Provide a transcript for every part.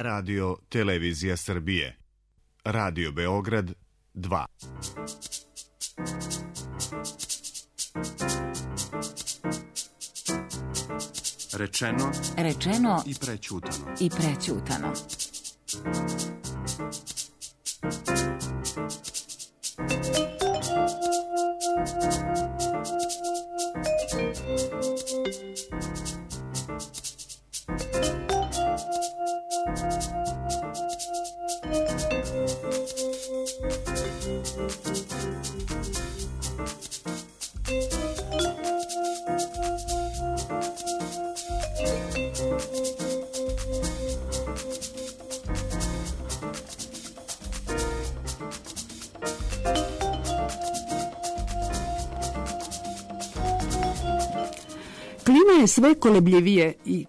Radio Televizija Srbije. Radio Beograd 2. Rečeno i prećutano.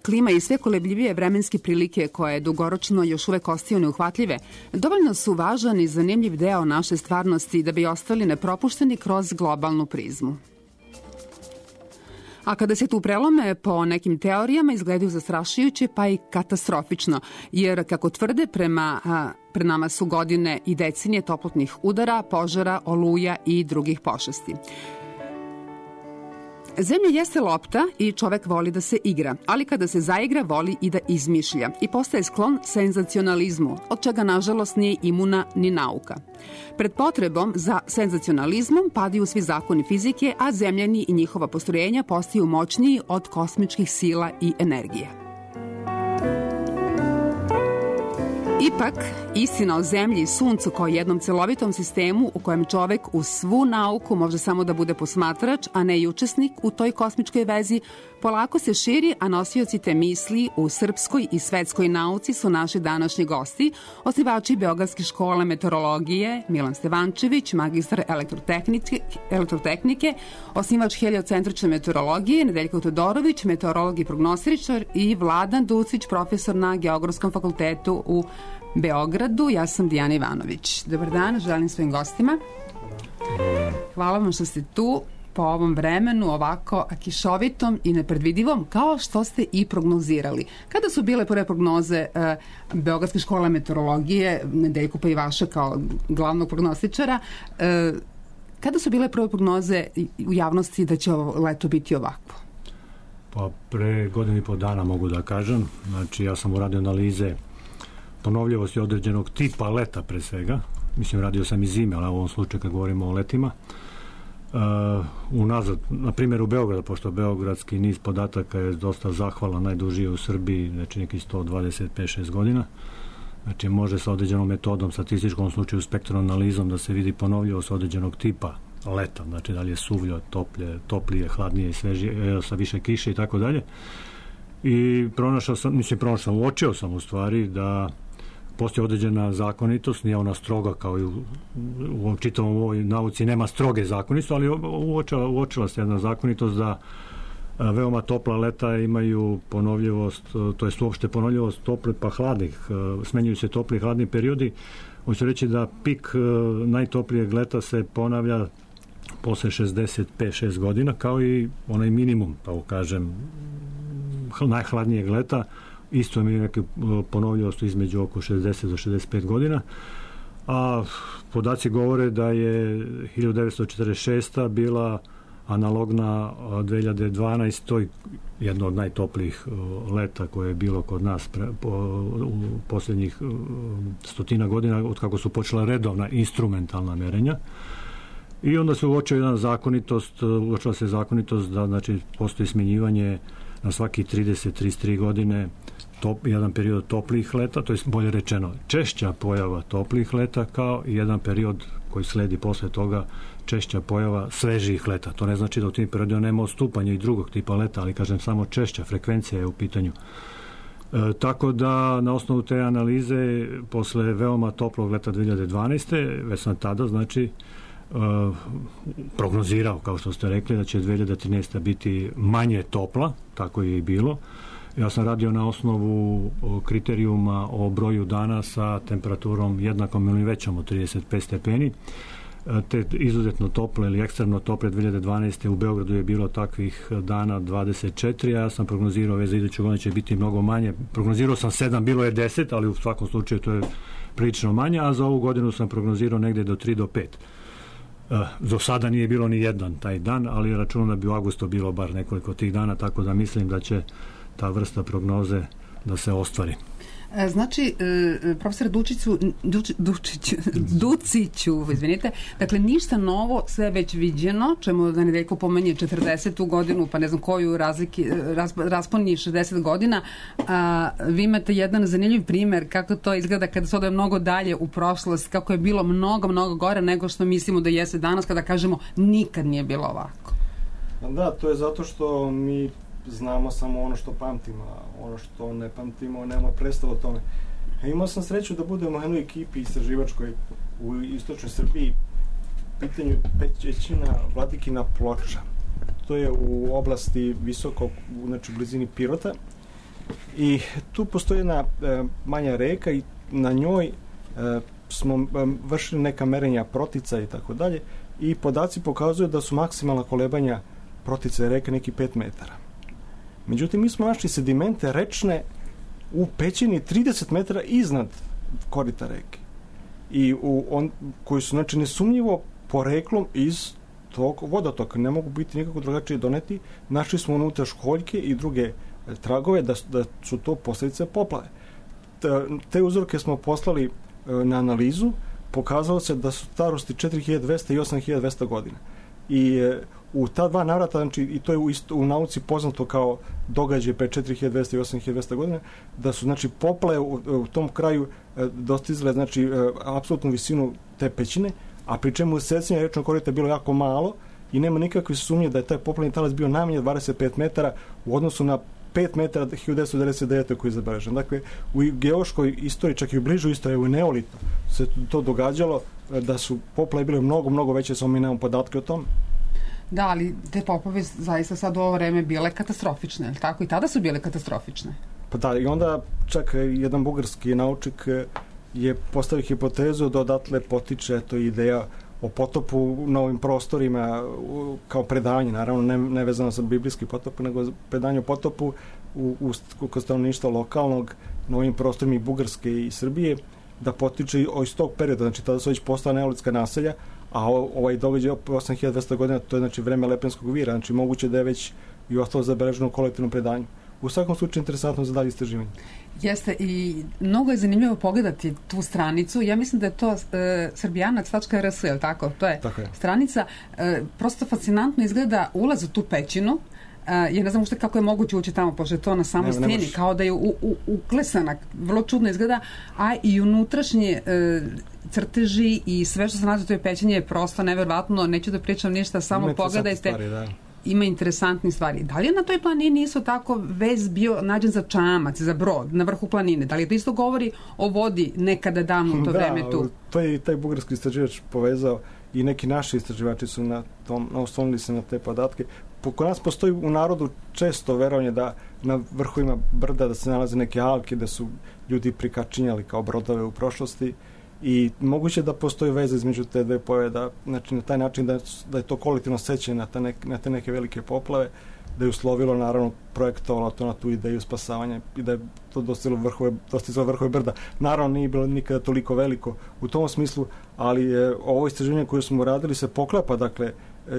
Klima i sve kolebljivije vremenske prilike koje dugoročno još uvek ostaju neuhvatljive, dovoljno su važan i zanimljiv deo naše stvarnosti da bi ostali nepropušteni kroz globalnu prizmu. A kada se tu prelome, po nekim teorijama izgledaju zastrašujuće pa i katastrofično, jer kako tvrde pred nama su godine i decenije toplotnih udara, požara, oluja i drugih pošasti. Zemlja jeste lopta i čovek voli da se igra, ali kada se zaigra voli i da izmišlja i postaje sklon senzacionalizmu, od čega nažalost nije imuna ni nauka. Pred potrebom za senzacionalizmom padaju svi zakoni fizike, a zemljani i njihova postrojenja postaju moćniji od kosmičkih sila i energije. Ipak, istina o zemlji i suncu kao jednom celovitom sistemu u kojem čovek uz svu nauku može samo da bude posmatrač, a ne i učesnik u toj kosmičkoj vezi, polako se širi, a nosioci te misli u srpskoj i svetskoj nauci su naši današnji gosti, osnivači Beogradske škole meteorologije Milan Stevančević, magistar elektrotehnike, osnivač heliocentrične meteorologije Nedeljko Todorović, meteorolog i prognostičar, i Vladan Ducić, profesor na Geografskom fakultetu u Beogradu. Ja sam Dijana Ivanović. Dobar dan, želim svojim gostima. Hvala vam što ste tu po ovom vremenu, ovako kišovitom i nepredvidivom, kao što ste i prognozirali. Kada su bile prve prognoze Beogradske škole meteorologije, Nedeljko pa i vaša kao glavnog prognostičara, kada su bile prve prognoze u javnosti da će ovo leto biti ovako? Pa pre godinu i po dana mogu da kažem. Znači, ja sam uradio analize ponovljivosti određenog tipa leta pre svega. Mislim, radio sam i zime, ali u ovom slučaju kad govorimo o letima. Unazad, na primjer u Beogradu, pošto beogradski niz podataka je dosta zahvalan, najduži u Srbiji, znači neki 125-6 godina. Znači, može sa određenom metodom, statističkom slučaju spektralnom analizom da se vidi ponovljivost određenog tipa leta, znači da li je suvlje, toplije, hladnije, svežije, sa više kiše i tako dalje. I uočio sam u stvari da postoji određena zakonitost, nije ona stroga kao i u čitavom ovoj nauci, nema stroge zakonitosti, ali uočila se jedna zakonitost da veoma topla leta imaju ponovljivost, to je uopšte ponovljivost tople pa hladnih, smenjuju se topli i hladni periodi. Hoću reći da pik najtoplijeg leta se ponavlja posle 65-6 godina, kao i onaj minimum, tako kažem, najhladnijeg leta, isto mi je neke ponovljivost između oko 60 do 65 godina, a podaci govore da je 1946. bila analogna 2012. jedno od najtoplijih leta koje je bilo kod nas u posljednjih stotina godina od kako su počela redovna instrumentalna merenja. I onda se uočila se zakonitost da, znači, postoji smenjivanje na svaki 30-33 godine jedan period toplijih leta, to je bolje rečeno češća pojava toplijih leta, kao i jedan period koji sledi posle toga češća pojava svežijih leta. To ne znači da u tim periodima nema odstupanja i drugog tipa leta, ali kažem samo češća frekvencija je u pitanju. Tako da na osnovu te analize posle veoma toplog leta 2012. već sam tada, znači, prognozirao, kao što ste rekli, da će 2013. biti manje topla, tako je i bilo. Ja sam radio na osnovu kriterijuma o broju dana sa temperaturom jednakom ili većom od 35 stepeni. te izuzetno tople ili ekstremno tople 2012. u Beogradu je bilo takvih dana 24, a ja sam prognozirao za iduću godinu će biti mnogo manje. Prognozirao sam 7, bilo je 10, ali u svakom slučaju to je prilično manje, a za ovu godinu sam prognozirao negde do 3 do 5. Do sada nije bilo ni jedan taj dan, ali računam da bi u avgustu bilo bar nekoliko tih dana, tako da mislim da će ta vrsta prognoze da se ostvari. Znači, profesor Duciću, izvinite, dakle, ništa novo, sve već viđeno, čemu da Nedeljko pomenje 40. godinu, pa ne znam koju rasponi 60 godina, vi imate jedan zanimljiv primer kako to izgleda kada se ode mnogo dalje u prošlost, kako je bilo mnogo gore nego što mislimo da jeste danas, kada kažemo nikad nije bilo ovako. Da, to je zato što mi znamo samo ono što pamtimo, a ono što ne pamtimo nema predstavu o tome. Imao sam sreću da budem u jednoj ekipi istraživačkoj u istočnoj Srbiji, pitanju pećina Vladikina Ploča. To je u oblasti visoko, znači u blizini Pirota, i tu postoji jedna manja reka i na njoj smo vršili neka merenja protica i tako dalje, i podaci pokazuju da su maksimalna kolebanja protice reke neki 5 metara. Međutim, mi smo našli sedimente rečne u pećini 30 metara iznad korita reke. I koji su, znači, nesumnjivo poreklom iz tog vodotoka. Ne mogu biti nikako drugačije doneti. Našli smo unutra školjke i druge tragove da su to posljedice poplave. Te uzorke smo poslali na analizu. Pokazalo se da su starosti 4200 i 8200 godina. I u ta dva navrata, znači, i to je u nauci poznato kao događaj pre 4200 i 8200 godina, da su, znači, poplave u tom kraju dostizale, znači, apsolutnu visinu te pećine, a pri čemu secanje rečnog korita je bilo jako malo i nema nikakve sumnje da je taj poplavni talas bio najmanje 25 metara u odnosu na 5 metara 1999. koji je zabeležen. Dakle, u geološkoj istoriji, čak i u bližoj istoriji, u neolitno, se to događalo da su poplave bile mnogo veće, samo mi nemamo podatke o tome. Da, ali te poplave zaista sad u ovo vreme bile katastrofične, ali tako? I tada su bile katastrofične. Pa da, i onda čak jedan bugarski naučnik je postavio hipotezu da odatle potiče to ideja o potopu na ovim prostorima kao predanje, naravno ne vezano sa biblijski potop, nego predanje o potopu kod stanovništva lokalnog na ovim prostorima i Bugarske i Srbije, da potiče iz tog perioda, znači tada su već postala neolitska naselja, a ovaj događaj 8200 godina, to je, znači, vreme Lepenskog vira, znači moguće da je već i ostalo zabeleženo u kolektivnom predanju. U svakom slučaju interesantno za dalje istraživanje. Jeste, i mnogo je zanimljivo pogledati tu stranicu. Ja mislim da je to srbijanac.rs, je li tako? To je stranica. Prosto fascinantno izgleda ulaz u tu pećinu. Ja ne znam ušte kako je moguće ući tamo, pošto je to na samoj steni, kao da je uklesana, vrlo čudno izgleda, a i unutrašnje crteži i sve što se nalazi u toj pećini je prosto neverovatno, neću da pričam ništa, samo pogledajte. Ima interesantnih stvari. Da li je na toj planini isto tako vez bio nađen za čamac, za brod, na vrhu planine? Da li to isto govori o vodi nekada davno u to vreme tu? Da, to je i taj bugarski istraživač povezao i neki naši istraživači su oslonili se na te podatke. Kod nas postoji u narodu često verovanje da na vrhovima brda da se nalaze neke alke, da su ljudi prikačinjali kao brodove u prošlosti, i moguće da postoji veza između te dve pojave, da, znači, na taj način da je to kolektivno sećanje na te neke velike poplave, da je uslovilo, naravno, projektovalo to na tu ideju spasavanja i da je to dostizalo vrhove brda. Naravno, nije bilo nikada toliko veliko u tom smislu, ali ovo istraživanje koje smo radili se poklapa, dakle,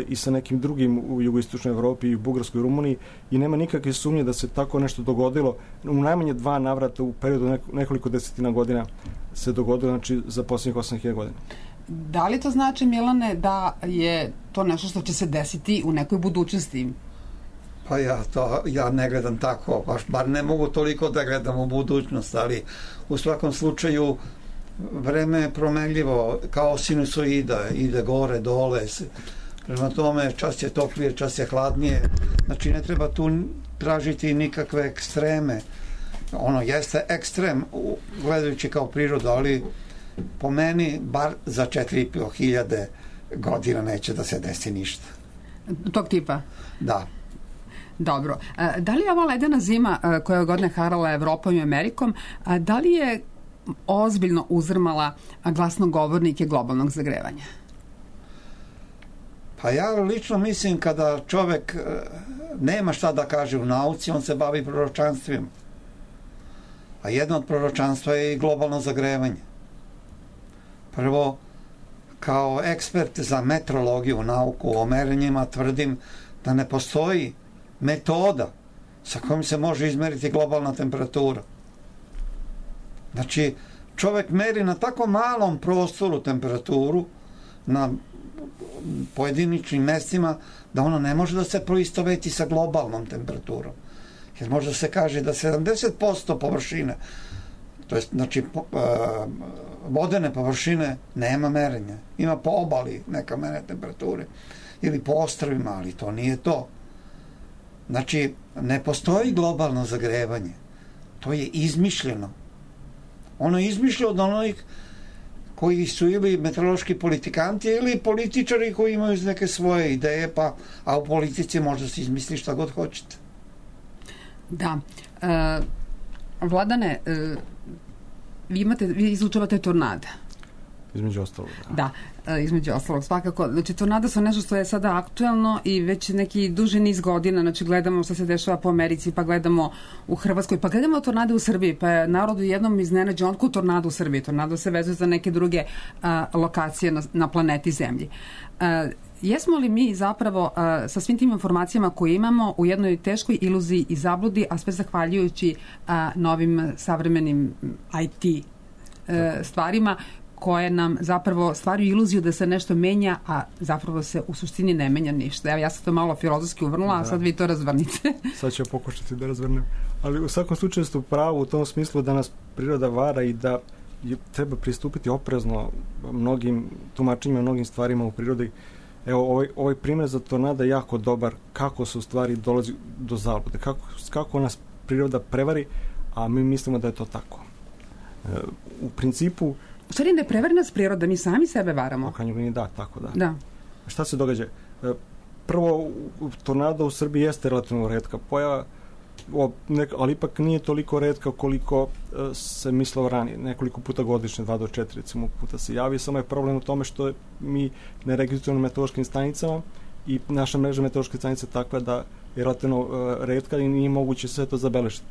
i sa nekim drugim u jugoistočnoj Evropi i u Bugarskoj i Rumuniji, i nema nikakve sumnje da se tako nešto dogodilo. U najmanje 2 navrata u periodu nekoliko desetina godina se dogodilo, znači za posljednjih 8000 godina. Da li to znači, Milane, da je to nešto što će se desiti u nekoj budućnosti? Pa ja ne gledam tako, bar ne mogu toliko da gledam u budućnost, ali u svakom slučaju vreme je promenljivo, kao sinusoida, ide gore, dole. Prema tome, čas je toplije, čas je hladnije. Znači, ne treba tu tražiti nikakve ekstreme. Ono jeste ekstrem, gledajući kao prirodu, ali po meni, bar za 4500 godina neće da se desi ništa. Tog tipa? Da. Dobro. Da li je ova ledena zima koja je godine harala Evropom i Amerikom, da li je ozbiljno uzrmala glasnogovornike globalnog zagrevanja? Pa ja lično mislim kada čovek nema šta da kaže u nauci, on se bavi proročanstvima. A jedno od proročanstva je i globalno zagrevanje. Prvo, kao ekspert za meteorologiju, nauku o merenjima, tvrdim da ne postoji metoda sa kojom se može izmeriti globalna temperatura. Znači, čovek meri na tako malom prostoru temperaturu, na pojediničnim mestima, da ona ne može da se proistoveti sa globalnom temperaturom. Jer može da se kaže da 70% površine, to je znači vodene površine, nema merenja. Ima po obali neka merenja temperature ili po ostrvima, ali to nije to. Znači, ne postoji globalno zagrevanje. To je izmišljeno. Ono je izmišljeno od onih koji su ili meteorološki politikanti ili političari koji imaju neke svoje ideje, a u politici možda se izmisli šta god hoćete. Da. Vladane, vi izučavate tornada. Između ostalog. Da, između ostalog, svakako. Znači, tornada su nešto što je sada aktuelno i već neki duži niz godina, znači gledamo što se dešava po Americi, pa gledamo u Hrvatskoj, pa gledamo tornade u Srbiji, pa je narodu jednom iznenađe onko tornado u Srbiji. Tornado se vezuje za neke druge lokacije na planeti Zemlji. Jesmo li mi zapravo sa svim tim informacijama koje imamo u jednoj teškoj iluziji i zabludi, a sve zahvaljujući novim savremenim IT stvarima koje nam zapravo stvaraju iluziju da se nešto menja, a zapravo se u suštini ne menja ništa. Evo, ja sam to malo filozofski uvrnula, a sad vi to razvrnite. Sad ću pokušati da razvrnem. Ali u svakom slučaju ste u pravu u tom smislu da nas priroda vara i da treba pristupiti oprezno mnogim tumačenjima, mnogim stvarima u prirodi. Evo, ovaj primjer za tornada je jako dobar, kako se u stvari dolazi do zablude, kako nas priroda prevari, a mi mislimo da je to tako. U principu... U stvari ne prevari nas priroda, mi sami sebe varamo. Da, tako da. Da. Šta se događa? Prvo, tornada u Srbiji jeste relativno retka pojava, ali ipak nije toliko retka koliko se mislilo ranije. Nekoliko puta godišnje, 2 do 4 recimo puta se javi. Samo je problem u tome što mi ne registrujemo meteorološkim stanicama i naša mreža meteorološke stanice je takva da je relativno retka i nije moguće sve to zabeležiti.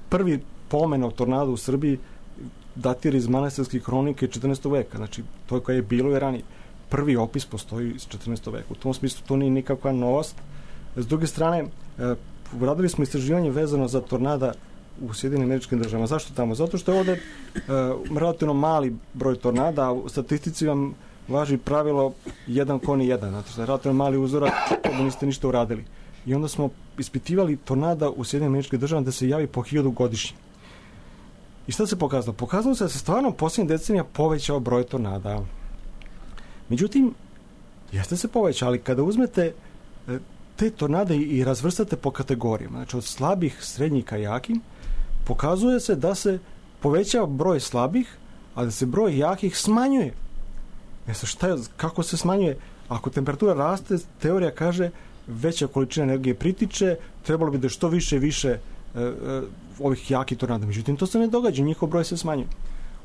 Prvi pomen o tornadu u Srbiji datira iz manastirskih hronike 14. veka, znači to koje je bilo i ranije. Prvi opis postoji iz 14. veka. U tom smislu to nije nikakva novost. S druge strane, uradili smo istraživanje vezano za tornada u Sjedinim Američkim Državama. Zašto tamo? Zato što je ovde relativno mali broj tornada, a u statistici vam važi pravilo 1:1. Znači, da je relativno mali uzorak, da niste ništa uradili. I onda smo ispitivali tornada u Sjedinim Američkim Državama da se javi po 1000 godišnje. I šta se pokazalo? Pokazalo se da se stvarno posljednjih decenija povećao broj tornada. Međutim, jeste se povećao, ali kada uzmete te tornade i razvrstate po kategorijama, znači od slabih, srednjih ka jakim, pokazuje se da se povećava broj slabih, a da se broj jakih smanjuje. Kako se smanjuje? Ako temperatura raste, teorija kaže veća količina energije pritiče, trebalo bi da što više i više ovih jakih tornada. Međutim, to se ne događa, njihov broj se smanjuje.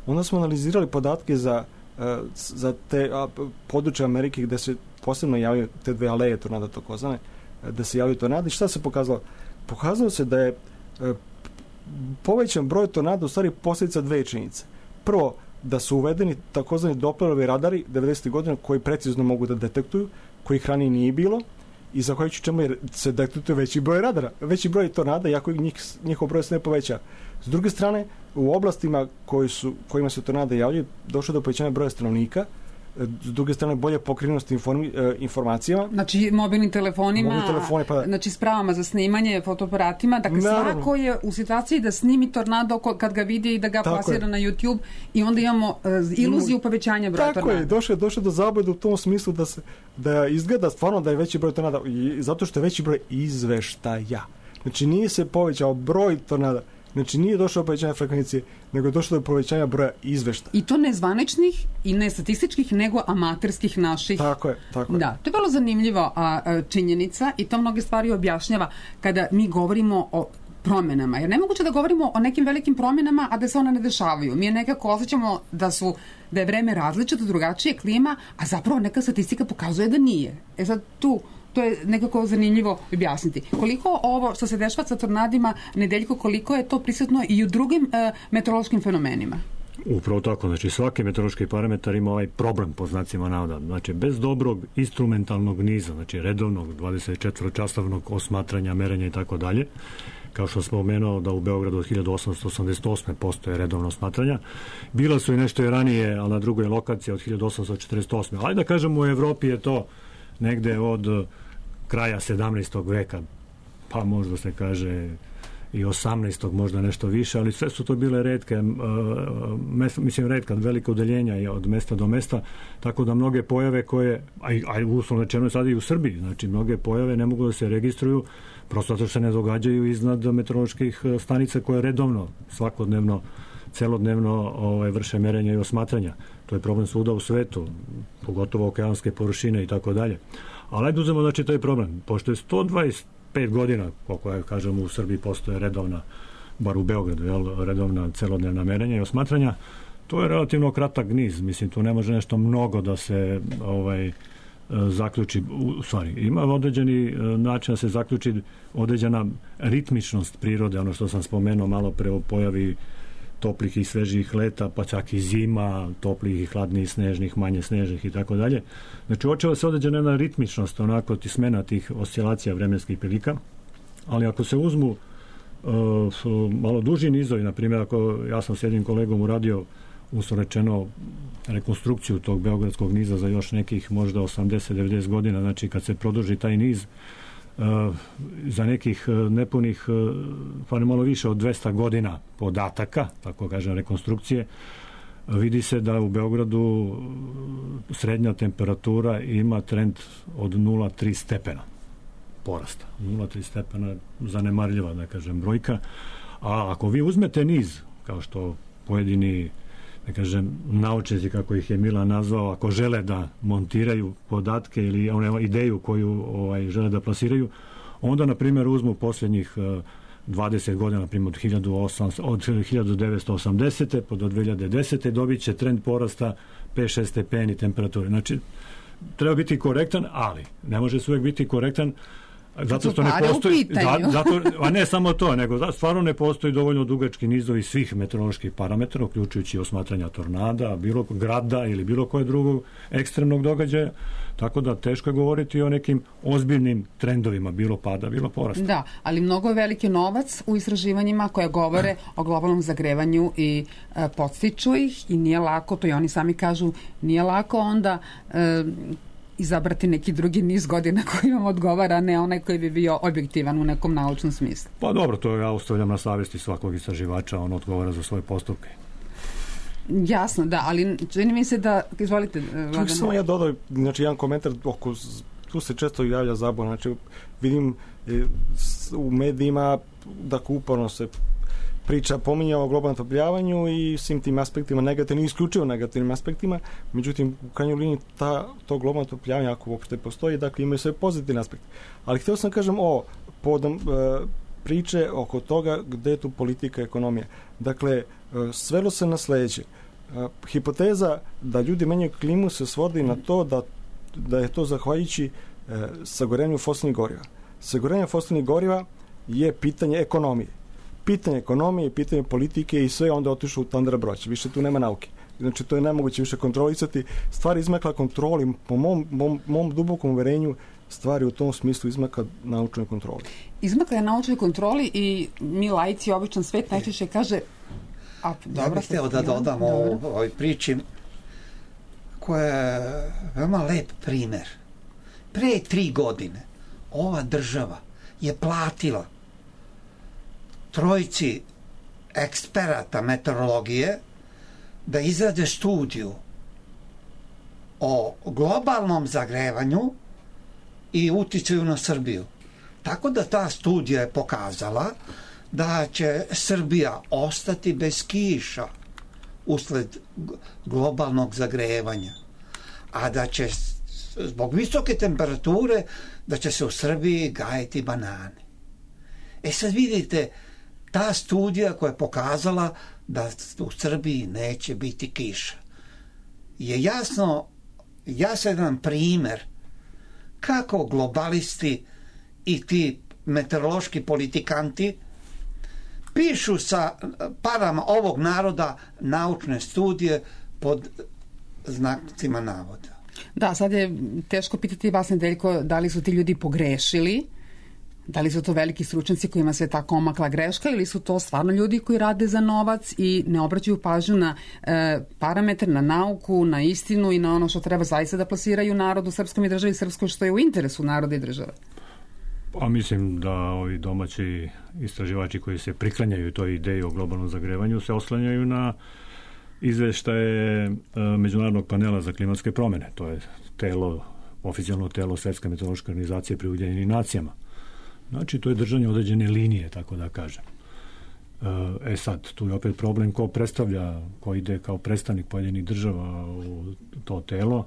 Onda smo analizirali podatke za te područje Amerike gde se posebno javljaju te dve aleje tornada takozvane, da se javljaju tornada. I šta se pokazalo? Pokazalo se da je povećan broj tornada u stvari posljedica dve činjenice. Prvo, da su uvedeni takozvani Dopplerovi radari 90. godina koji precizno mogu da detektuju, kojih ranije nije bilo, i zahvaljujući čemu se detektuje veći broj radara, veći broj tornada, iako njihov broj se ne poveća. S druge strane, u oblastima kojima se tornada javljaju, došlo do povećanja broja stanovnika, s druge strane bolje pokrivenost informacijama. Znači mobilnim telefonima, znači spravama za snimanje, fotoaparatima, dakle svako je u situaciji da snimi tornado kad ga vidi i da ga plasira na YouTube i onda imamo iluziju povećanja broja tornada. Tako je, došlo do zablude u tom smislu da izgleda stvarno da je veći broj tornada, zato što je veći broj izveštaja. Znači nije se povećao broj tornada, znači nije došlo do povećanja frekvencije, nego je došlo do povećanja broja izveštaja. I to ne zvaničnih i ne statističkih, nego amaterskih naših. Tako je. Da, to je vrlo zanimljiva činjenica i to mnoge stvari objašnjava kada mi govorimo o promenama, jer nemoguće da govorimo o nekim velikim promenama, a da se one ne dešavaju. Mi nekako osjećamo da je vreme različito, drugačije, klima, a zapravo neka statistika pokazuje da nije. Sad to je nekako zanimljivo objasniti. Koliko ovo što se dešava sa tornadima, Nedeljko, koliko je to prisutno i u drugim meteorološkim fenomenima? Upravo tako, znači svaki meteorološki parametar ima ovaj problem po znacima navoda. Znači bez dobrog instrumentalnog niza, znači redovnog 24-časovnog osmatranja, merenja i tako dalje, kao što smo pomenuo da u Beogradu od 1888. postoje redovno osmatranja. Bila su i nešto i ranije, ali na drugoj lokaciji od 1848. Ali da kažemo u Evropi je to negde od kraja 17. veka, pa možda se kaže i 18. možda nešto više, ali sve su to bile retke, redka, velike udaljenja od mesta do mesta, tako da mnoge pojave koje, a uslovno rečeno sad i u Srbiji, znači mnoge pojave ne mogu da se registruju, prosto zato što se ne događaju iznad meteoroloških stanica koje redovno, svakodnevno, celodnevno vrše merenja i osmatranja. To je problem svuda u svetu, pogotovo okeanske površine i tako dalje. Ali ajde uzmemo, znači, taj problem. Pošto je 125 godina, koliko ja kažem, u Srbiji postoje redovna, bar u Beogradu, redovna celodnevna merenja i osmatranja, to je relativno kratak niz. Mislim, tu ne može nešto mnogo da se zaključi, u stvari, ima određeni način da se zaključi određena ritmičnost prirode, ono što sam spomenuo malo pre o pojavi toplih i svežih leta, pa čak i zima, toplih i hladnih, snežnih, manje snežnih i tako dalje. Znači, uočava se određena jedna ritmičnost, onako smena tih oscilacija vremenskih prilika, ali ako se uzmu malo duži nizovi, na primjer, ako ja sam s jednim kolegom uradio, uslovno rečeno, rekonstrukciju tog beogradskog niza za još nekih možda 80-90 godina, znači kad se produži taj niz, za nekih nepunih, pa ne malo više od 200 godina podataka, tako kažem, rekonstrukcije, vidi se da u Beogradu srednja temperatura ima trend od 0,3 stepena porasta. 0,3 stepena zanemarljiva, da kažem, brojka. A ako vi uzmete niz, kao što pojedini, da kažem, naučnici, kako ih je Milan nazvao, ako žele da montiraju podatke ili ideju koju žele da plasiraju, onda, na primjer, uzmu posljednjih 20 godina, na primjer, od 1980. pa do 2010. dobit će trend porasta 5-6 stepeni temperature. Znači, treba biti korektan, ali ne može se uvijek biti korektan zato što ne postoji, a ne samo to, nego stvarno ne postoji dovoljno dugački nizovi svih meteoroloških parametara, uključujući osmatranja tornada, bilo grada ili bilo koje drugog ekstremnog događaja, tako da teško je govoriti o nekim ozbiljnim trendovima, bilo pada, bilo porasta. Da, ali mnogo je veliki novac u istraživanjima koje govore o globalnom zagrevanju i podstiču ih i nije lako, to i oni sami kažu, nije lako onda izabrati neki drugi niz godina koji vam odgovara, ne onaj koji bi bio objektivan u nekom naučnom smislu. Pa dobro, to ja ostavljam na savjesti svakog istraživača, on odgovara za svoje postupke. Jasno, da, ali čini mi se da, izvolite, Vladan. Tu samo ja dodao, znači, jedan komentar, tu se često javlja zabuna, znači, vidim u medijima da uporno se pominja o globalnom otopljavanju i svim tim aspektima negativnim, isključivo negativnim aspektima, međutim, u krajnjoj liniji to globalno otopljavanje, ako uopšte postoji, dakle, imaju sve pozitivne aspekte. Ali htio sam kažem povodom priče oko toga gde je tu politika i ekonomija. Dakle, svelo se na sledeće. Hipoteza da ljudi menjaju klimu se svodi na to da je to zahvaljujući sagorenju fosilnih goriva. Sagorenje fosilnih goriva je pitanje ekonomije. Pitanje ekonomije, pitanje politike i sve onda otišlo u tandra broća. Više tu nema nauke. Znači, to je nemoguće više kontrolisati. Stvari izmakla kontroli, po mom dubokom uverenju, stvari u tom smislu izmakla naučnoj kontroli. Izmakla je naučnoj kontroli i mi laici, običan svet najčešće kaže ja bih htio da dodam ovoj priči koja je veoma lep primer. Pre 3 godine ova država je platila trojici eksperata meteorologije da izrade studiju o globalnom zagrevanju i uticaju na Srbiju. Tako da ta studija je pokazala da će Srbija ostati bez kiša usled globalnog zagrevanja, a da će zbog visoke temperature da će se u Srbiji gajiti banane. Sad vidite, ta studija koja je pokazala da u Srbiji neće biti kiša je jasan primer kako globalisti i ti meteorološki politikanti pišu sa parama ovog naroda naučne studije pod znacima navoda. Da, sad je teško pitati vas, Nedeljko, da li su ti ljudi pogrešili, da li su to veliki stručnjaci kojima se tako omakla greška ili su to stvarno ljudi koji rade za novac i ne obraćaju pažnju na parametar, na nauku, na istinu i na ono što treba zaista da plasiraju narodu srpskom i državi srpskoj, što je u interesu naroda i države. Pa mislim da ovi domaći istraživači koji se priklanjaju toj ideji o globalnom zagrevanju se oslanjaju na izveštaje Međunarodnog panela za klimatske promjene. To je oficijalno telo Svetske meteorološke organizacije pri Ujedinjenim nacijama. Znači, to je držanje određene linije, tako da kažem. Sad, tu je opet problem ko predstavlja, ko ide kao predstavnik pojedinih država u to telo.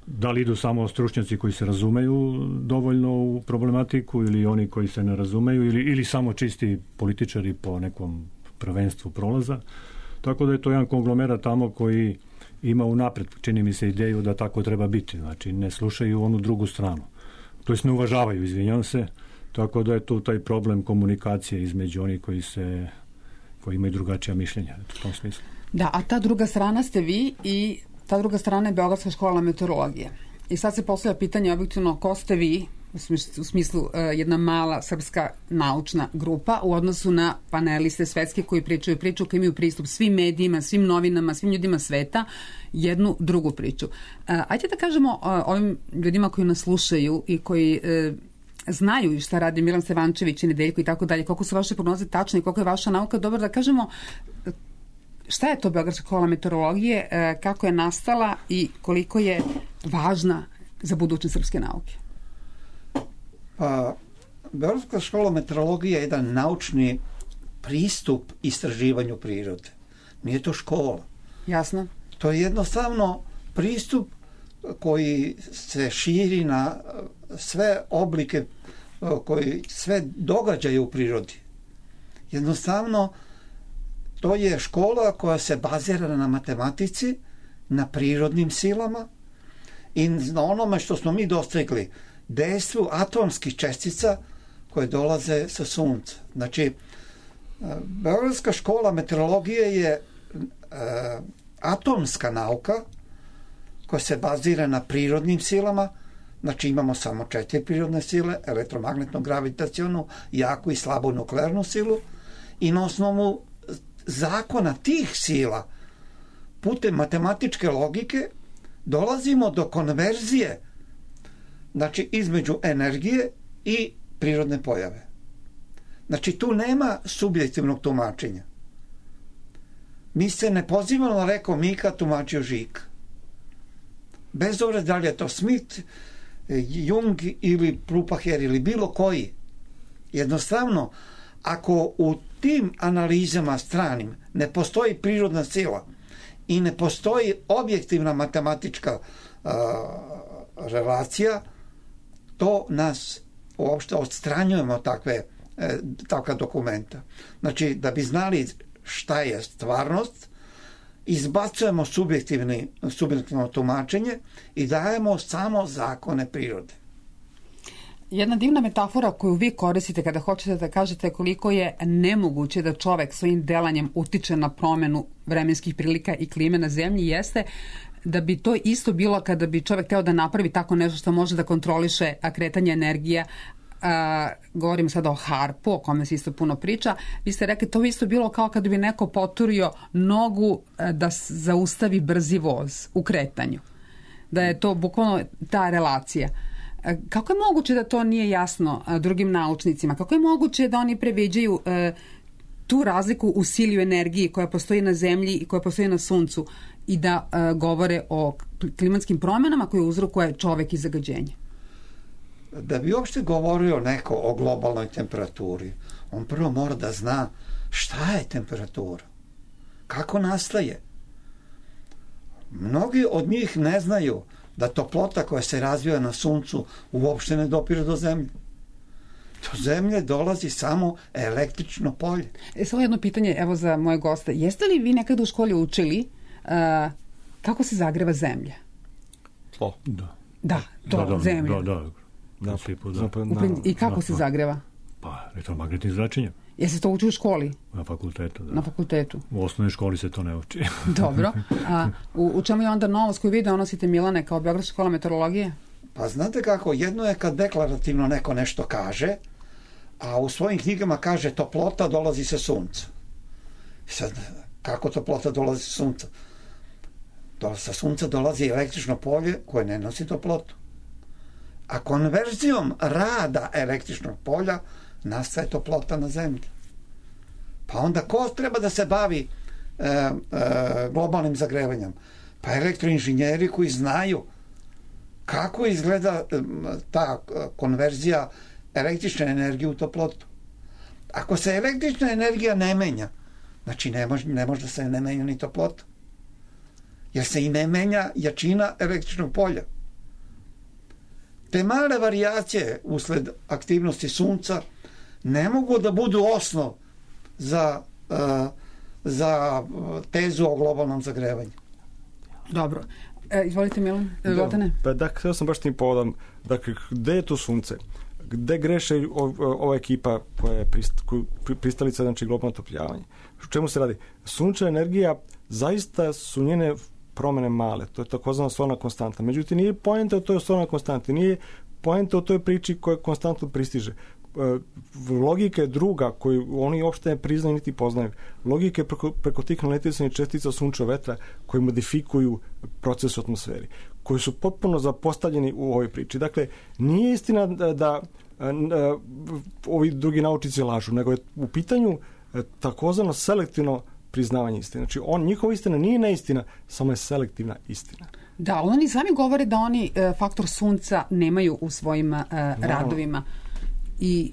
Da li idu samo stručnjaci koji se razumeju dovoljno u problematiku ili oni koji se ne razumeju ili samo čisti političari po nekom prvenstvu prolaza. Tako da je to jedan konglomerat tamo koji ima unapred, čini mi se, ideju da tako treba biti. Znači, ne slušaju onu drugu stranu. To jest ne uvažavaju, izvinjam se. Tako da je tu taj problem komunikacije između onih koji imaju drugačija mišljenja u tom smislu. Da, a ta druga strana ste vi i ta druga strana je Beogradska škola meteorologije. I sad se postavlja pitanje objektivno ko ste vi, u smislu jedna mala srpska naučna grupa u odnosu na paneliste svetske koji pričaju priču, koji imaju pristup svim medijima, svim novinama, svim ljudima sveta, jednu drugu priču. Ajde da kažemo ovim ljudima koji nas slušaju i koji znaju šta radi Milan Stevančević i Nedeljko i tako dalje, koliko su vaše prognoze tačne i koliko je vaša nauka dobra, da kažemo šta je to Beogradska škola meteorologije, kako je nastala i koliko je važna za budućnost srpske nauke. Pa, Beogradska škola meteorologije je jedan naučni pristup istraživanju prirode. Nije to škola. Jasno. To je jednostavno pristup koji se širi na sve oblike, sve događaje u prirodi. Jednostavno, to je škola koja se bazira na matematici, na prirodnim silama i na onome što smo mi dostigli, dejstvu atomskih čestica koje dolaze sa sunca. Znači, Beogradska škola meteorologije je atomska nauka koja se bazira na prirodnim silama. Znači, imamo samo 4 prirodne sile, elektromagnetnu, gravitacionu, jaku i slabu nuklearnu silu i na osnovu zakona tih sila putem matematičke logike dolazimo do konverzije, znači između energije i prirodne pojave. Znači, tu nema subjektivnog tumačenja. Mi se ne pozivamo na reko Mika tumačio Žika. Bez obzira da li je to Smith, Jung ili Plupacher ili bilo koji. Jednostavno, ako u tim analizama stranim ne postoji prirodna sila i ne postoji objektivna matematička relacija, to nas uopšte odstranjujemo takva dokumenta. Znači, da bi znali šta je stvarnost, izbacujemo subjektivno tumačenje i dajemo samo zakone prirode. Jedna divna metafora koju vi koristite kada hoćete da kažete koliko je nemoguće da čovek svojim delanjem utiče na promenu vremenskih prilika i klime na zemlji jeste da bi to isto bilo kada bi čovek teo da napravi tako nešto što može da kontroliše kretanje energije. Govorim sada o harpu, o kome se isto puno priča. Vi ste rekli, to bi isto bilo kao kada bi neko poturio nogu da zaustavi brzi voz u kretanju. Da je to bukvalno ta relacija. Kako je moguće da to nije jasno drugim naučnicima? Kako je moguće da oni previđaju tu razliku u sili i energiji koja postoji na zemlji i koja postoji na suncu i da govore o klimatskim promjenama koje uzrokuje čovek i zagađenje? Da bi uopšte govorio neko o globalnoj temperaturi, on prvo mora da zna šta je temperatura, kako nastaje. Mnogi od njih ne znaju da toplota koja se razvija na suncu uopšte ne dopire do zemlje. Do Zemlje dolazi samo električno polje. Samo jedno pitanje, evo za moje goste. Jeste li vi nekada u školi učili kako se zagreva Zemlja? Tlo. Da, Zemlja. Da. I kako se zagreva? Pa, elektromagnetnim zračenjem. Jeste to uči u školi? Na fakultetu, da. Na fakultetu. U osnovnoj školi se to ne uči. Dobro. A u čemu je onda novost koju vi donosite, Milane, kao Beogradska škola meteorologije? Pa znate kako, jedno je kad deklarativno neko nešto kaže, a u svojim knjigama kaže toplota dolazi sa sunca. Sad, kako toplota dolazi sa sunca? Sa sunca dolazi električno polje koje ne nosi toplotu. A konverzijom rada električnog polja nastaje toplota na Zemlji. Pa onda ko treba da se bavi globalnim zagrevanjem? Pa elektroinženjeri koji znaju kako izgleda ta konverzija električne energije u toplotu. Ako se električna energija ne menja, znači ne može da se ne menja ni toplota. Jer se i ne menja jačina električnog polja. Te male varijacije usled aktivnosti sunca ne mogu da budu osnov za tezu o globalnom zagrevanju. Dobro. Izvolite, Milan. Zlatane. Da, htio sam baš tim povodom. Dakle, gde je tu sunce? Gde greše ova ekipa koja je pristalica, znači globalno otopljavanje? O čemu se radi? Sunčeva energija, zaista su njene promene male. To je takozvana solna konstanta. Međutim, nije poenta u toj solnoj konstanti. Nije poenta u toj priči koja konstantno pristiže. Logika je druga koju oni uopšte ne priznaju niti poznaju. Logika je preko tih naletisanih čestica sunčevog vetra koji modifikuju proces u atmosferi, koji su potpuno zapostavljeni u ovoj priči. Dakle, nije istina da ovi drugi naučnici lažu, nego je u pitanju takozvano selektivno priznavanje istine. Znači, njihova istina nije neistina, samo je selektivna istina. Da, oni sami govore da oni faktor sunca nemaju u svojim radovima. I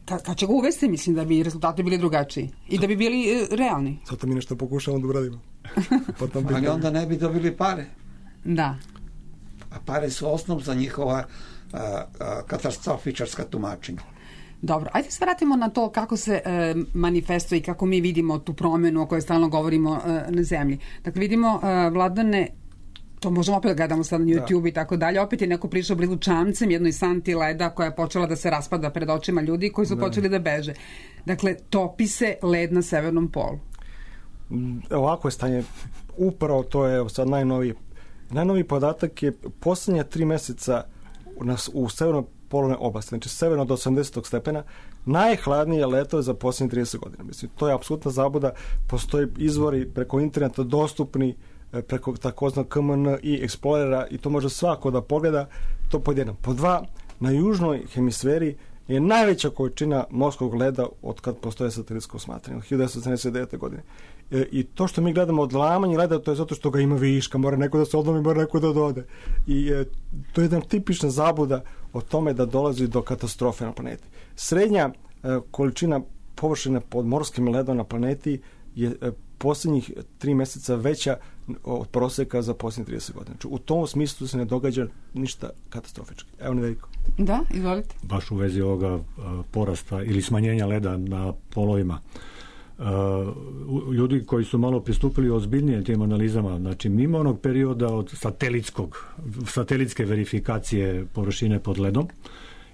kad će ga uvesti, mislim da bi rezultati bili drugačiji i da bi bili realni. Zato mi nešto pokušamo da uradimo. Ali onda ne bi dobili pare. Da. A pare su osnov za njihova katastrofičarska tumačenja. Dobro, ajde se vratimo na to kako se manifestuje i kako mi vidimo tu promjenu o kojoj stalno govorimo na Zemlji. Dakle, vidimo, Vladane, to možemo opet gledamo sad na YouTube i tako dalje, opet je neko prišao blizu čamcem, jednoj santi leda koja je počela da se raspada pred očima ljudi koji su počeli da beže. Dakle, topi se led na severnom polu. Ovako je stanje, upravo to je sad najnoviji podatak je posljednja 3 meseca u severnoj polarnoj oblasti, znači severno do 80. stepena, najhladnije leto je za posljednjih 30 godina. Mislim, to je apsolutna zabuda, postoji izvori preko interneta dostupni, preko takozvanog KMN i Explorera i to može svako da pogleda, to pod jedan. Po dva, na južnoj hemisferi je najveća količina morskog leda od kad postoje satelitsko smatranje, od 1979. godine. I to što mi gledamo odlamanje leda, to je zato što ga ima viška, mora neko da se odlomi, mora neko da dode. I to je jedna tipična zabuda o tome da dolazi do katastrofe na planeti. Srednja količina površine pod morskim ledom na planeti je posljednjih 3 meseca veća od proseka za posljednjih 30 godina. Znači, u tom smislu se ne događa ništa katastrofički. Evo Nedeljko. Da, izvolite. Baš u vezi ovoga porasta ili smanjenja leda na polovima. Ljudi koji su malo pristupili ozbiljnije tim analizama, znači mimo onog perioda od satelitske verifikacije površine pod ledom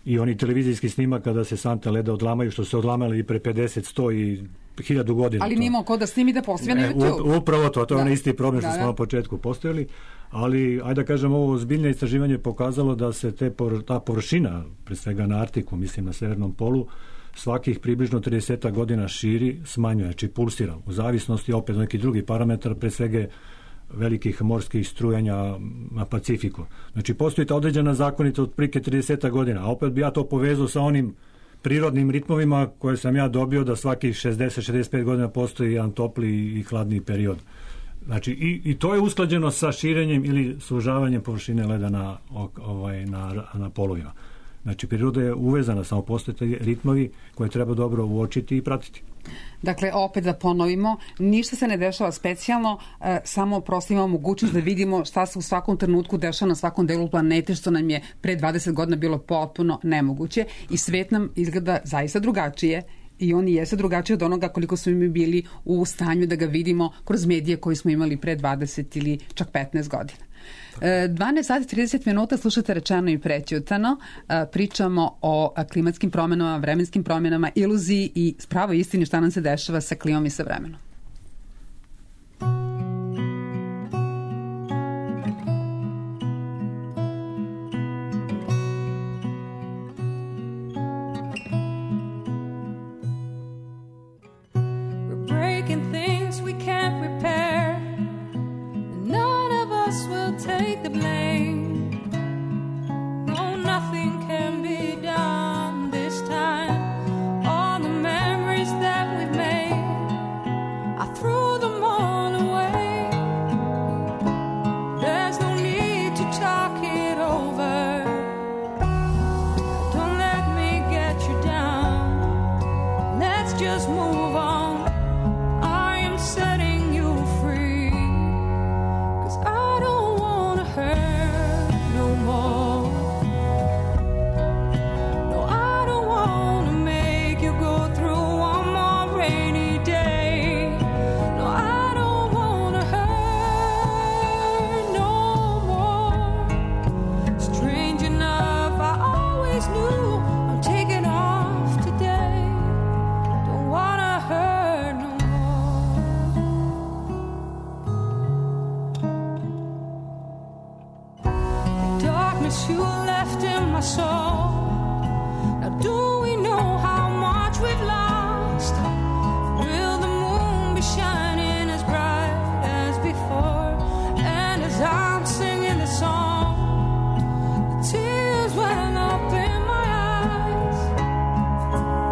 i oni televizijski snimak kada se sante leda odlamaju, što se odlamali i pre 50, 100 i 1000 godina. Ali nimo ko da snimi da postoje na YouTube. Upravo to je onaj isti problem što smo na početku postojali, ali ajde da kažem, ovo ozbiljne istraživanje pokazalo da se ta površina, pre svega na Arktiku, mislim na severnom polu, svakih približno 30 godina širi, smanjuje, znači pulsira, u zavisnosti opet neki drugi parametar, pre svega velikih morskih strujanja na Pacifiku. Znači postoji ta određena zakonita od prike 30 godina, a opet bi ja to povezao sa onim prirodnim ritmovima koje sam ja dobio da svakih 60-65 godina postoji jedan topli i hladni period. Znači i to je usklađeno sa širenjem ili sužavanjem površine leda na polovima. Znači, priroda je uvezana, samo postoje ritmovi koje treba dobro uočiti i pratiti. Dakle, opet da ponovimo, ništa se ne dešava specijalno, samo prosto imamo mogućnost da vidimo šta se u svakom trenutku dešava na svakom delu planete, što nam je pre 20 godina bilo potpuno nemoguće i svet nam izgleda zaista drugačije i on jeste drugačiji od onoga koliko smo mi bili u stanju da ga vidimo kroz medije koji smo imali pre 20 ili čak 15 godina. 12 sati 30 minuta slušate Rečeno i prećutano. Pričamo o klimatskim promenama, vremenskim promenama, iluziji i pravoj istini šta nam se dešava sa klimom i sa vremenom. We're breaking things we can't repair. Will take the blame. No, nothing can be done this time. All the memories that we've made, I threw them all away. There's no need to talk it over. Don't let me get you down. Let's just move on. I am setting you free. 'Cause I don't wanna hurt no more. No, I don't wanna make you go through one more rainy day. No, I don't wanna hurt no more. Strange enough, I always knew I'm taking off today. Don't wanna hurt no you left in my soul. Now do we know how much we've lost? Will the moon be shining as bright as before? And as I'm singing the song, the tears well up in my eyes.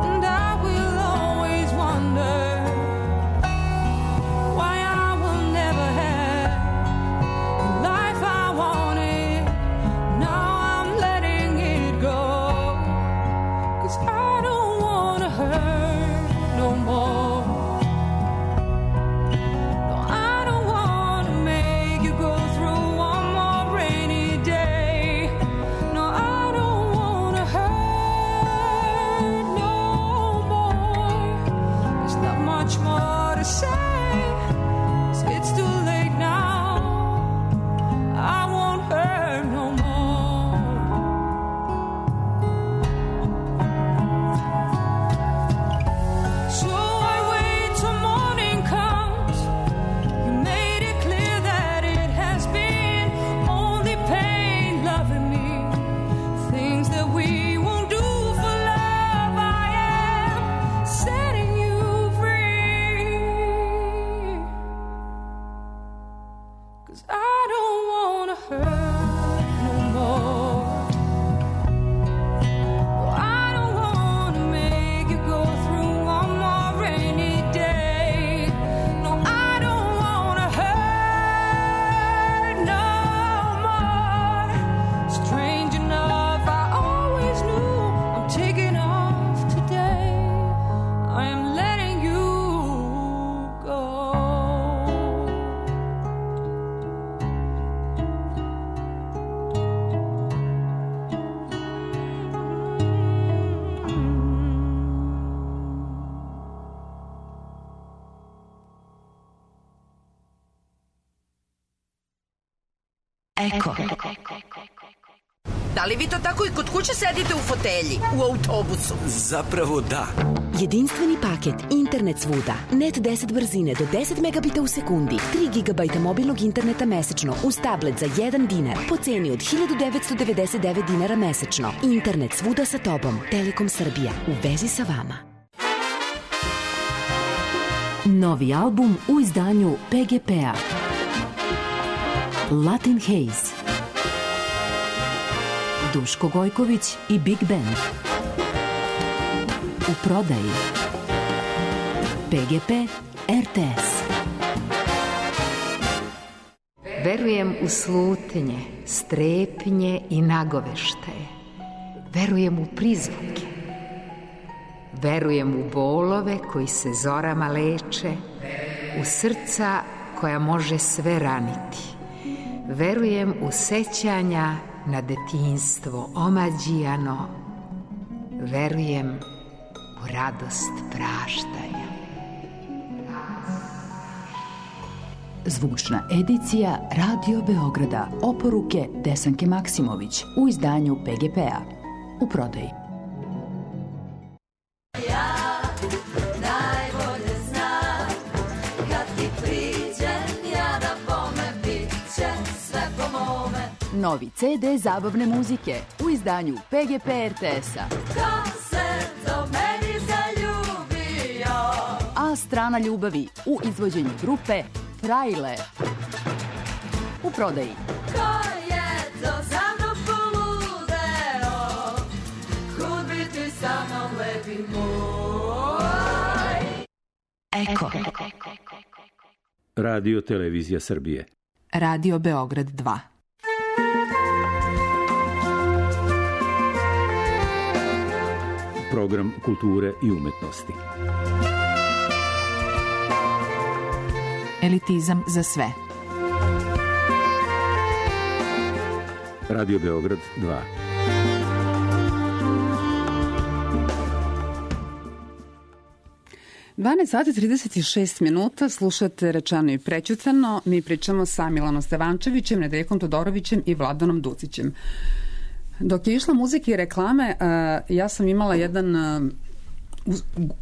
And I will always wonder why I will never have the life I wanted. Now I'm letting it go. 'Cause I don't wanna hurt no more. No, I don't wanna make you go through one more rainy day. No, I don't wanna hurt no more. There's not much more to say, 'cause it's too late now. I won't hurt no more. So I wait till morning comes. You made it clear that it has been only pain loving me. Things that we won't do for love. I am setting you free. 'Cause I don't wanna hurt no more. No, I don't wanna make you go through one more rainy day. No, I don't wanna hurt no more. Strange enough, I always knew I'm taking off today. I am letting you go. Eko. Da li vi to tako i kod kuće sedite u fotelji, u autobusu? Zapravo da. Jedinstveni paket, internet svuda, net 10 brzine do 10 megabita u sekundi, 3 GB mobilnog interneta mesečno uz tablet za 1 dinar po ceni od 1999 dinara mesečno. Internet svuda sa tobom. Telekom Srbija. U vezi sa vama. Novi album u izdanju PGP-a. Latin Haze. Duško Gojković i Big Band. U prodaji. PGP RTS. Verujem u slutnje, strepnje i nagoveštaje. Verujem u prizvuke. Verujem u bolove koji se zorama leče, u srca koja može sve raniti. Verujem u sećanja na detinjstvo omađijano. Verujem u radost praštanja. Zvučna edicija Radio Beograda. Oporuke Desanke Maksimović u izdanju PGP-a. U prodaji. Novi CD zabavne muzike u izdanju PGP RTS-a. Ko se do meni zaljubio? A strana ljubavi u izvođenju grupe Frajle. U prodaji. Ko je to za mnom poludeo? Kud bi ti sa mnom lepi moj? Eko. Radio Televizija Srbije. Radio Beograd 2. Program kulture i umetnosti. Elitizam za sve. Radio Beograd 2. Sati 36 minuta, slušate Rečeno i prećutano. Mi pričamo sa Milanom Stevančevićem, Nedeljkom Todorovićem i Vladanom Ducićem. Dok je išla muzika i reklame, ja sam imala jedan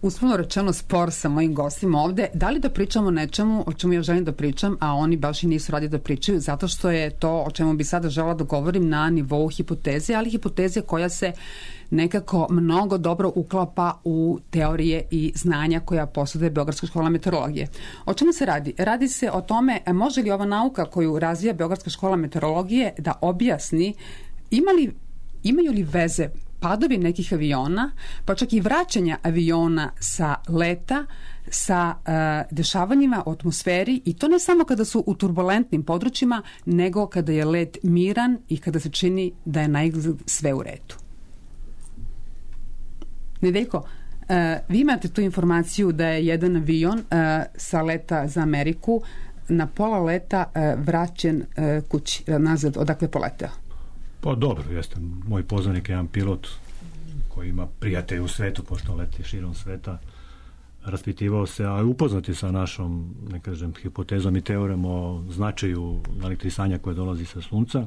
uslovno rečeno spor sa mojim gostima ovde. Da li da pričamo o nečemu o čemu ja želim da pričam, a oni baš i nisu radi da pričaju, zato što je to o čemu bi sada žela da govorim na nivou hipoteze, ali hipoteze koja se nekako mnogo dobro uklapa u teorije i znanja koja posjeduje Beogradska škola meteorologije. O čemu se radi? Radi se o tome može li ova nauka koju razvija Beogradska škola meteorologije da objasni imaju li veze padovi nekih aviona, pa čak i vraćanja aviona sa leta, sa dešavanjima u atmosferi, i to ne samo kada su u turbulentnim područjima, nego kada je let miran i kada se čini da je naizgled sve u redu. Nedeljko, vi imate tu informaciju da je jedan avion sa leta za Ameriku na pola leta vraćen kući, nazad odakle poleteo. Pa dobro, jeste. Moj poznanik je jedan pilot koji ima prijatelje u svetu, pošto leti širom sveta. Raspitivao se, a upoznati sa našom, ne kažem, hipotezom i teorijom o značaju elektrisanja koje dolazi sa sunca.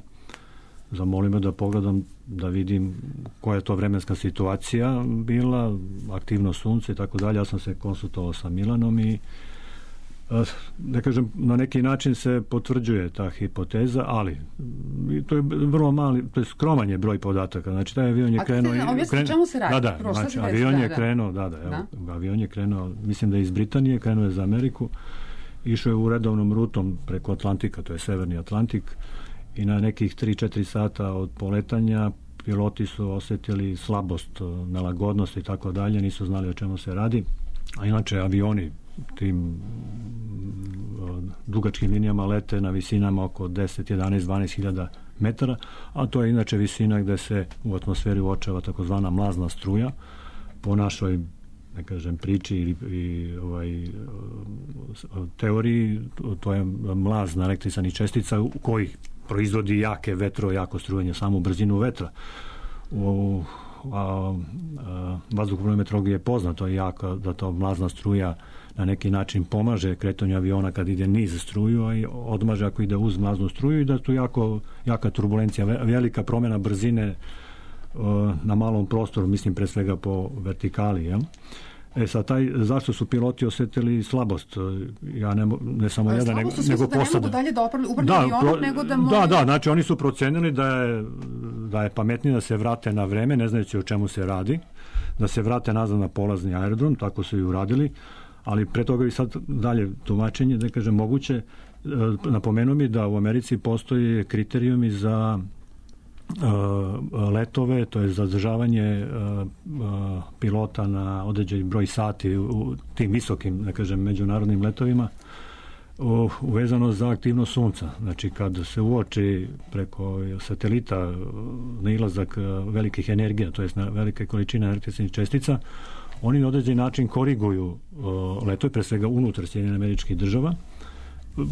Zamolio me da pogledam, da vidim koja je to vremenska situacija bila, aktivno sunce i tako dalje. Ja sam se konsultovao sa Milanom i da kažem, na neki način se potvrđuje ta hipoteza, ali to je vrlo mali, to je skroman je broj podataka. Znači, taj avion je krenuo... A čemu se radi? Znači, avion je krenuo, avion je krenuo, mislim da je iz Britanije, krenuo je za Ameriku, išao je u redovnom rutom preko Atlantika, to je Severni Atlantik, i na nekih 3-4 sata od poletanja piloti su osetili slabost, nelagodnost i tako dalje, nisu znali o čemu se radi, a inače avioni tim dugačkim linijama lete na visinama oko 10, 11, 12 hiljada metara, a to je inače visina gde se u atmosferi uočava takozvana mlazna struja. Po našoj, ne kažem, priči i teoriji, to je mlaz elektrisanih čestica u kojih proizvodi jake vetro, jako strujanje, samu brzinu vetra. Vazduhoplovnoj meteorologiji je poznato jako da to mlazna struja na neki način pomaže kretanju aviona kad ide niz struju, a i odmaže ako ide uz mlaznu struju, i da je tu jaka turbulencija, velika promjena brzine na malom prostoru, mislim pre svega po vertikali. Ja? Zašto su piloti osetili slabost? Ja ne samo jedan, nego posada. Da ne mogu dalje da ubrnu avionom, nego da mogu... Da, znači oni su procenili da je pametnije da se vrate na vreme, ne znajući o čemu se radi, da se vrate nazad na polazni aerodrom, tako su i uradili, ali pre toga i sad dalje tumačenje, da kažem, moguće. Napomenuo mi da u Americi postoji kriterijumi za letove, to je zadržavanje pilota na određeni broj sati u tim visokim, da kažem, međunarodnim letovima, uvezano za aktivnost sunca. Znači kad se uoči preko satelita nailazak velikih energija, to jest na velike količine električnih čestica, oni na određeni način koriguju letove, pre svega unutar Sjedinjenih Američkih Država,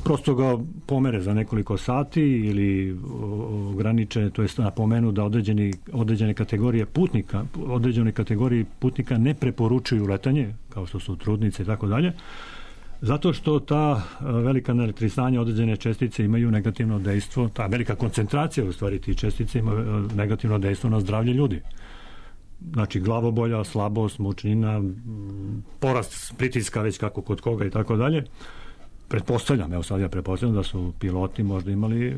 prosto ga pomere za nekoliko sati ili ograniče, to jest napomenu da određene kategorije putnika ne preporučuju letanje, kao što su trudnice i tako dalje, zato što ta velika naelektrisanja određene čestice imaju negativno dejstvo, ta velika koncentracija u stvari tih čestice ima negativno dejstvo na zdravlje ljudi. Znači glavobolja, slabost, mučnina, porast pritiska već kako kod koga i tako dalje. Pretpostavljam da su piloti možda imali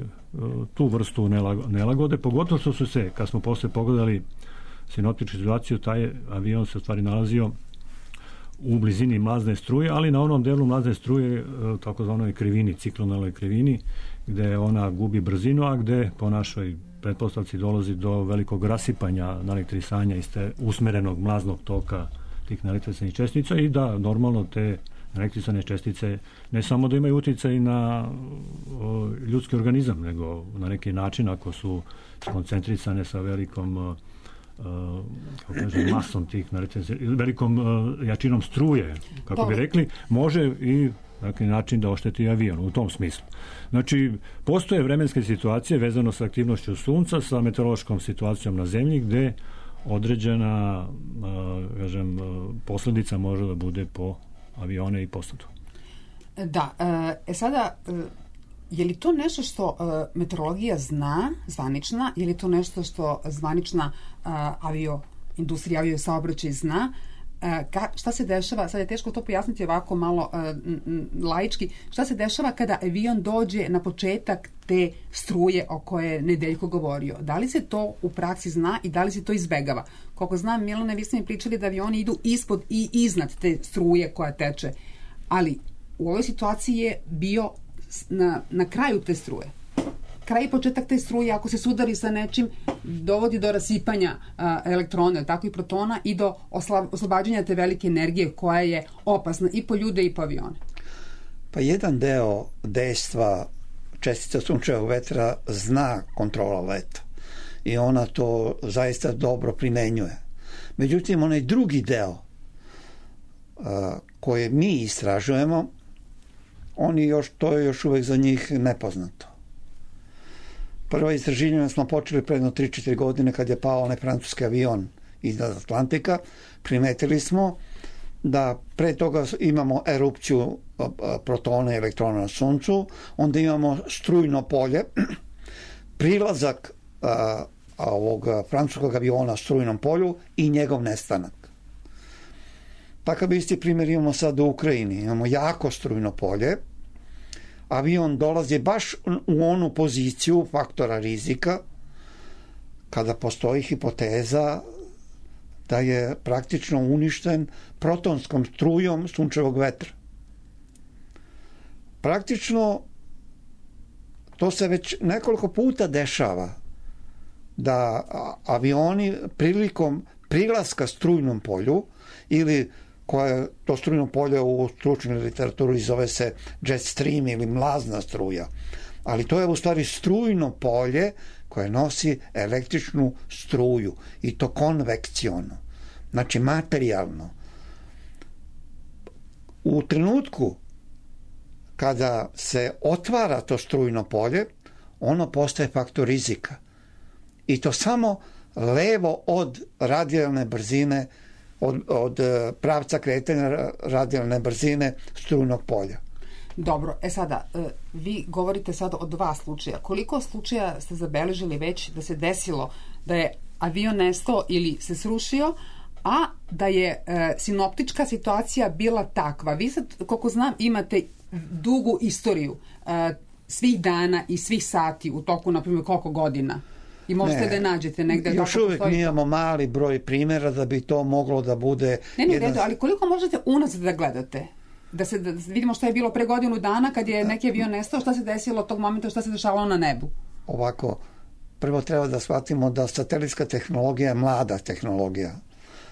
tu vrstu nelagode, pogotovo što su se, kad smo posle pogledali sinoptičku situaciju, taj avion se u stvari nalazio u blizini mlazne struje, ali na onom delu mlazne struje, takozvanoj krivini, ciklonalnoj krivini, gde ona gubi brzinu, a gde po našoj pretpostavci dolazi do velikog rasipanja naelektrisanja iz te usmerenog mlaznog toka tih naelektrisanih čestica i da normalno te naelektrisane čestice ne samo da imaju uticaj na ljudski organizam, nego na neki način ako su skoncentrisane sa velikom masom tih velikom jačinom struje, kako bi rekli, može i na neki način da ošteti avion u tom smislu. Znači, postoje vremenske situacije vezano sa aktivnošću sunca, sa meteorološkom situacijom na zemlji, gde određena posledica može da bude po avione i posadu. Da, sada je li to nešto što meteorologija zna, zvanična, je li to nešto što zvanična avioindustrija, aviosaobraćaj zna? Šta se dešava, sad je teško to pojasniti ovako malo laički, šta se dešava kada avion dođe na početak te struje o koje je Nedeljko govorio? Da li se to u praksi zna i da li se to izbegava? Koliko znam, Milane, vi ste mi pričali da avioni idu ispod i iznad te struje koja teče, ali u ovoj situaciji je bio na kraju te struje. Kraj i početak te struje, ako se sudari sa nečim, dovodi do rasipanja elektrona, tako i protona, i do oslobađanja te velike energije koja je opasna i po ljude i po avione. Pa jedan deo dejstva čestica sunčevog vetra zna kontrola leta i ona to zaista dobro primenjuje. Međutim, onaj drugi deo koje mi istražujemo, to je još uvek za njih nepoznato. Prvo istraživanje smo počeli pre 3-4 godine kad je pao onaj francuski avion iznad Atlantika. Primetili smo da pre toga imamo erupciju protona i elektrona na suncu, onda imamo strujno polje, prilazak ovog francuskog aviona strujnom polju i njegov nestanak. Takav isti primjer imamo sad u Ukrajini. Imamo jako strujno polje, avion dolazi baš u onu poziciju faktora rizika kada postoji hipoteza da je praktično uništen protonskom strujom sunčevog vetra. Praktično to se već nekoliko puta dešava da avioni prilikom prilaska strujnom polju ili koje to strujno polje u stručnoj literaturi zove se jet stream ili mlazna struja. Ali to je u stvari strujno polje koje nosi električnu struju i to konvekciono, znači materijalno. U trenutku kada se otvara to strujno polje, ono postaje faktor rizika. I to samo levo od radijalne brzine, od pravca kretanja radijalne brzine strujnog polja. Dobro, sada, vi govorite sada o 2 slučaja. Koliko slučaja ste zabeležili već da se desilo da je avion nestao ili se srušio, a da je sinoptička situacija bila takva? Vi sad, koliko znam, imate dugu istoriju svih dana i svih sati u toku, na primjer, koliko godina? I možete da je nađete negde. Još uvijek nijemo mali broj primjera da bi to moglo da bude... Ne, ali koliko možete unazad da gledate? Da vidimo šta je bilo pre godinu dana kad je neki avion nestao, šta se desilo od tog momenta, šta se dešavalo na nebu? Ovako, prvo treba da shvatimo da satelitska tehnologija je mlada tehnologija.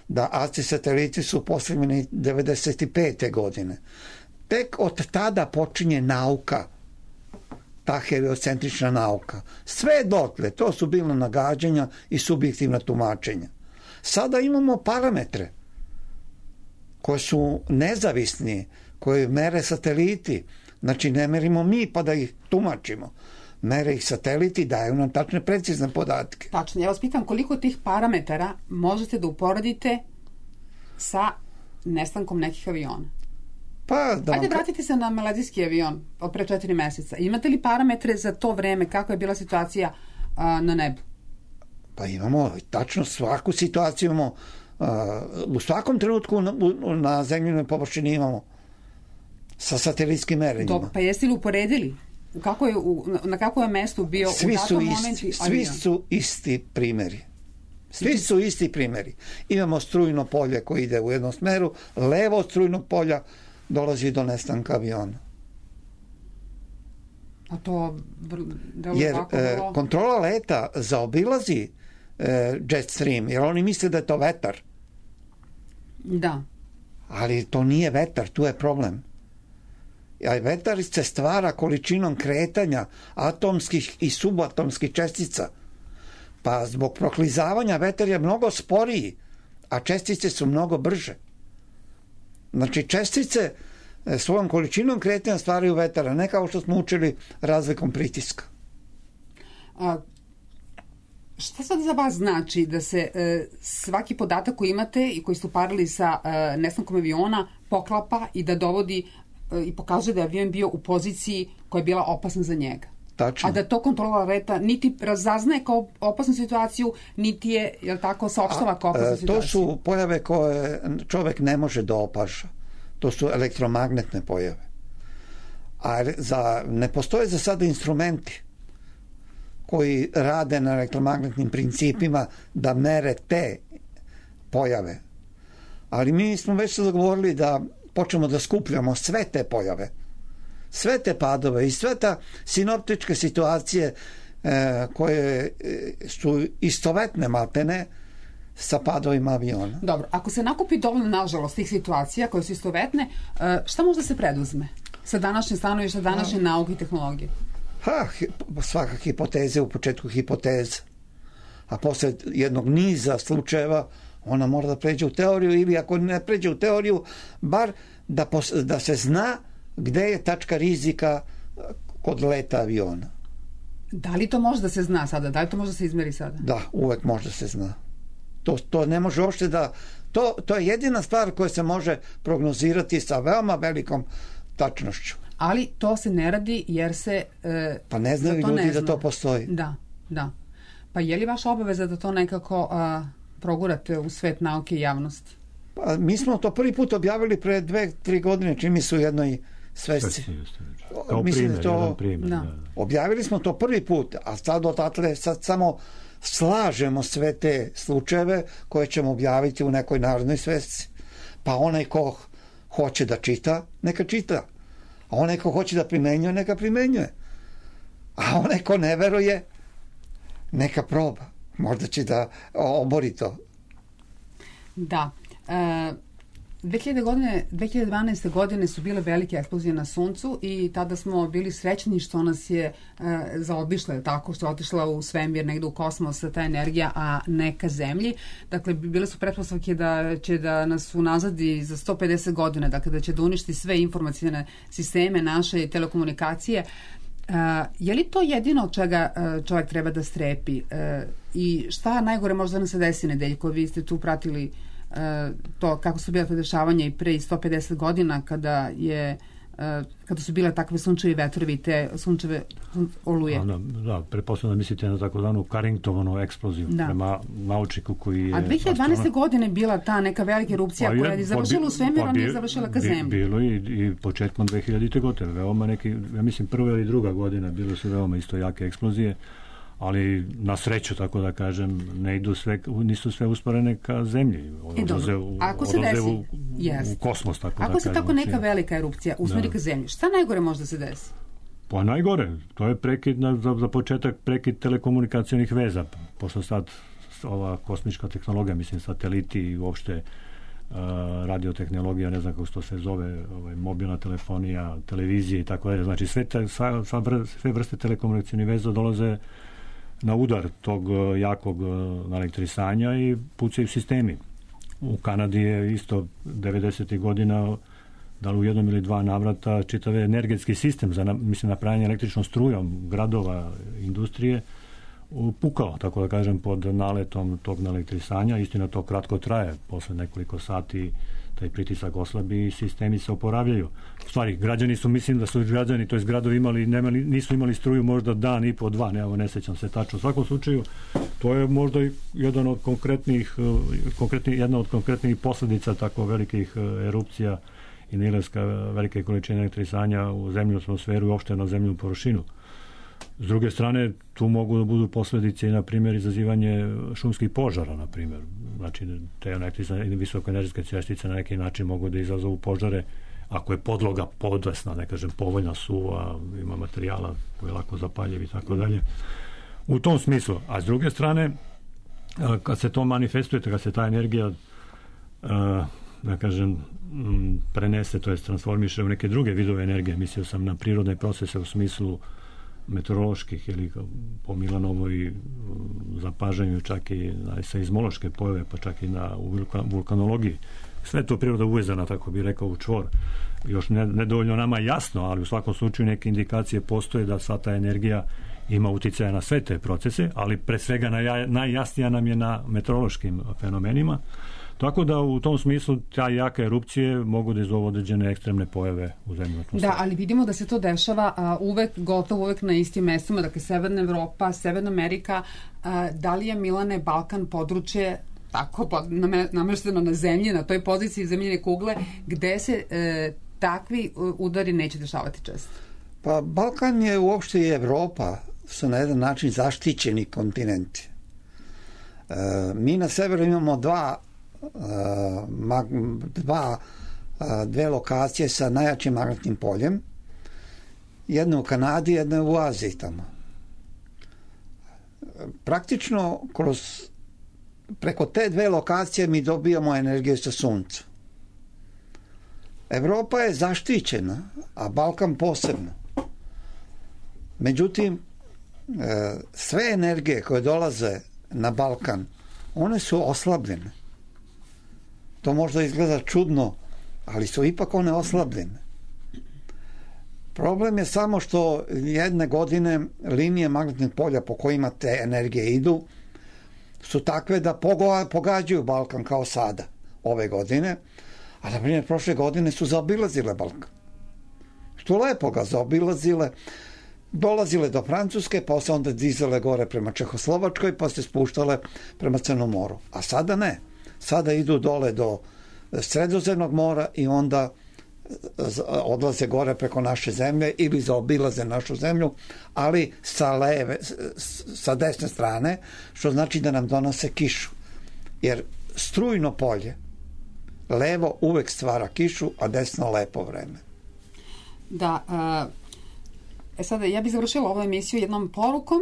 Da ACI sateliti su postavljeni 95. godine. tek od tada počinje nauka, ta heliocentrična nauka. Sve dotle, to su bilo nagađanja i subjektivna tumačenja. Sada imamo parametre koji su nezavisni, koji mere sateliti. Znači, ne merimo mi pa da ih tumačimo. Mere ih sateliti, daju nam tačne, precizne podatke. Tačno. Ja vas pitam koliko tih parametara možete da uporedite sa nestankom nekih aviona? Ajde, vratite se na maledijski avion od pre 4 meseca. Imate li parametre za to vreme, kako je bila situacija na nebu? Pa imamo, tačno svaku situaciju imamo. U svakom trenutku na zemljinoj površini imamo sa satelitskim merenjima. Pa jeste li uporedili? Na kako je mestu bio u datom momentu avion? Svi su isti primeri. Svi su isti primeri. Imamo strujno polje koje ide u jednom smeru, levo od strujnog polja dolazi do nestanka aviona. A to jer kontrola leta zaobilazi jet stream, jer oni misle da je to vetar. Da. Ali to nije vetar, tu je problem. A vetar se stvara količinom kretanja atomskih i subatomskih čestica. Pa zbog proklizavanja vetar je mnogo sporiji, a čestice su mnogo brže. Znači, čestice svojom količinom kretanja stvaraju vetara, ne kao što smo učili razlikom pritiska. Šta sad za vas znači da se svaki podatak koji imate i koji ste uparili sa nestankom aviona poklapa i da dovodi i pokazuje da je avion bio u poziciji koja je bila opasna za njega? Tačno. A da to kontrola leta niti razaznaje kao opasnu situaciju, niti je, jel tako, saopštava kao opasnu situaciju? To su pojave koje čovek ne može da opaža. To su elektromagnetne pojave. A ne postoje za sada instrumenti koji rade na elektromagnetnim principima da mere te pojave. Ali mi smo već se dogovorili da počnemo da skupljamo sve te pojave, sve te padove i sve ta sinoptičke situacije koje su istovetne maltene sa padovima aviona. Dobro, ako se nakupi dovoljno, nažalost, tih situacija koje su istovetne, šta može da se preduzme sa današnje stanovišta, današnje nauke i tehnologije? Svaka hipoteza u početku hipoteza, a posle jednog niza slučajeva ona mora da pređe u teoriju, ili ako ne pređe u teoriju, bar da se zna gde je tačka rizika kod leta aviona. Da li to može da se zna sada? Da li to može da se izmeri sada? Da, uvek može da se zna. To ne može uopšte da... To je jedina stvar koja se može prognozirati sa veoma velikom tačnošću. Ali to se ne radi jer se... Pa ne znaju ljudi da to postoji. Da. Pa je li vaša obaveza da to nekako progurate u svet nauke i javnosti? Pa, mi smo to prvi put objavili pre 2-3 godine, čim mi su u jednoj svesci. Objavili smo to prvi put, a sad odatle samo slažemo sve te slučajeve koje ćemo objaviti u nekoj narodnoj svesci. Pa onaj ko hoće da čita, neka čita. A onaj ko hoće da primenjuje, neka primenjuje. A onaj ko ne veruje, neka proba. Možda će da obori to. Da. 2012. godine su bile velike eksplozije na Suncu i tada smo bili srećni što nas je zaobišla, tako što je otišla u svemir, negde u kosmos ta energija, a ne ka zemlji. Dakle, bile su pretpostavke da će da nas unazadi za 150 godina, dakle da će da uništi sve informacijne sisteme naše telekomunikacije. Je li to jedino od čega čovjek treba da strepi? I šta najgore može da nam se desi, Nedeljko? Vi ste tu pratili to kako su bila dešavanja i pre 150 godina kada su bile takve sunčevi vetrovi i te sunčeve oluje. Da, pretpostavljam da mislite na takozvanu Carringtonsku eksploziju prema naučniku koji je... A 2012. godine bila ta neka velika erupcija koja je završila u svemiru, a nije završila ka zemlji. Bilo i početkom 2000. godine, veoma neki, ja mislim prva ili druga godina, bilo su veoma isto jake eksplozije, ali na sreću, tako da kažem, nisu sve usporene ka zemlji. Odlaze u kosmos, tako da kažem. Ako se tako neka velika erupcija usmeri ka zemlji, šta najgore može da se desi? Pa najgore, to je prekid, za početak prekid telekomunikacionih veza, pošto sad ova kosmička tehnologija, mislim sateliti i uopšte radiotehnologija, ne znam kako to se zove, mobilna telefonija, televizije i tako dalje. Znači sve vrste telekomunikacijnih veza dolaze na udar tog jakog elektrisanja i pucaju sistemi. U Kanadi je isto 90. godina, da li u jednom ili dva navrata, čitav energetski sistem za napravljanje električnom strujom gradova, industrije, pukao, tako da kažem, pod naletom tog elektrisanja. Istina, to kratko traje, posle nekoliko sati taj pritisak oslabi i sistemi se oporavljaju. U stvari, građani su, mislim da su građani, to je gradovi nisu imali struju možda dan i po dva, ne sećam se tačno. U svakom slučaju, to je možda jedna od konkretnih posledica tako velikih erupcija i nailaska velike količine elektrisanja u zemlju atmosferu i uopšte na zemlju površinu. S druge strane, tu mogu da budu posledice i, na primjer, izazivanje šumskih požara, na primjer. Znači, te visokoenergetske čestice na neki način mogu da izazovu požare ako je podloga podesna, ne kažem, povoljna, suva, ima materijala koji je lako zapaljiv i tako dalje. U tom smislu. A s druge strane, kad se to manifestuje, kad se ta energija da kažem, prenese, to jest transformiše u neke druge vidove energije, mislio sam na prirodne procese u smislu meteoroloških ili po Milanovoj zapažanju čak i na seizmološke pojave, pa čak i na vulkanologiji. Sve to priroda uvezana, tako bi rekao, u čvor. Još nedovoljno nama jasno, ali u svakom slučaju neke indikacije postoje da sva ta energija ima uticaja na sve te procese, ali pre svega najjasnija nam je na meteorološkim fenomenima. Tako da u tom smislu ta jaka erupcije mogu da izovu određene ekstremne pojave u zemlji. Da, ali vidimo da se to dešava gotovo uvek na istim mestima, dakle Severna Evropa, Severna Amerika. Da li je, Milane, Balkan područje tako namešteno na zemlji, na toj poziciji zemljine kugle, gde se takvi udari neće dešavati često? Pa Balkan je uopšte i Evropa su na jedan način zaštićeni kontinenti. Mi na severu imamo dve lokacije sa najjačim magnetnim poljem, jedna u Kanadi, jedna u Aziji tamo. Praktično preko te dve lokacije mi dobijamo energiju sa sunca. Evropa je zaštićena, a Balkan posebno. Međutim, sve energije koje dolaze na Balkan, one su oslabljene. To možda izgleda čudno, ali su ipak one oslabljene. Problem je samo što jedne godine linije magnetnih polja po kojima te energije idu su takve da pogađaju Balkan kao sada, ove godine, a na primjer prošle godine su zaobilazile Balkan. Što lepo ga zaobilazile, dolazile do Francuske, pa se onda dizale gore prema Čehoslovačkoj, pa se spuštale prema Crnom moru. A sada ne. Sada idu dole do Sredozemnog mora i onda odlaze gore preko naše zemlje ili zaobilaze našu zemlju, ali sa desne strane, što znači da nam donose kišu. Jer strujno polje levo uvek stvara kišu, a desno lepo vreme. Da, sada ja bih završila ovu emisiju jednom porukom,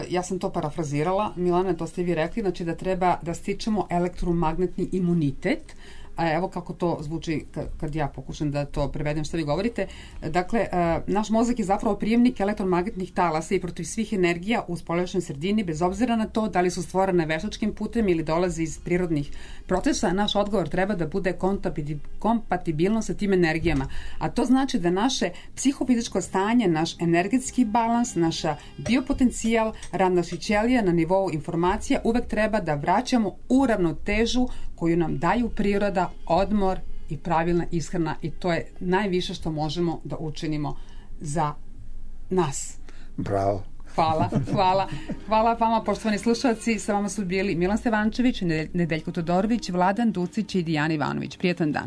ja sam to parafrazirala, Milana, to ste vi rekli, znači da treba da stičemo elektromagnetni imunitet. Evo kako to zvuči kad ja pokušam da to prevedem što vi govorite. Dakle, naš mozak je zapravo prijemnik elektromagnetnih talasa i protiv svih energija u spoljašnjoj sredini, bez obzira na to da li su stvorene veštačkim putem ili dolaze iz prirodnih procesa, naš odgovor treba da bude kompatibilno sa tim energijama. A to znači da naše psihofizičko stanje, naš energetski balans, naša biopotencijal, rad naših ćelija na nivou informacija uvek treba da vraćamo u ravnotežu koju nam daju priroda, odmor i pravilna ishrana, i to je najviše što možemo da učinimo za nas. Bravo. Hvala vama, poštovani slušalci. Sa vama su bili Milan Stevančević, Nedeljko Todorović, Vladan Ducić i Dijana Ivanović. Prijetan dan.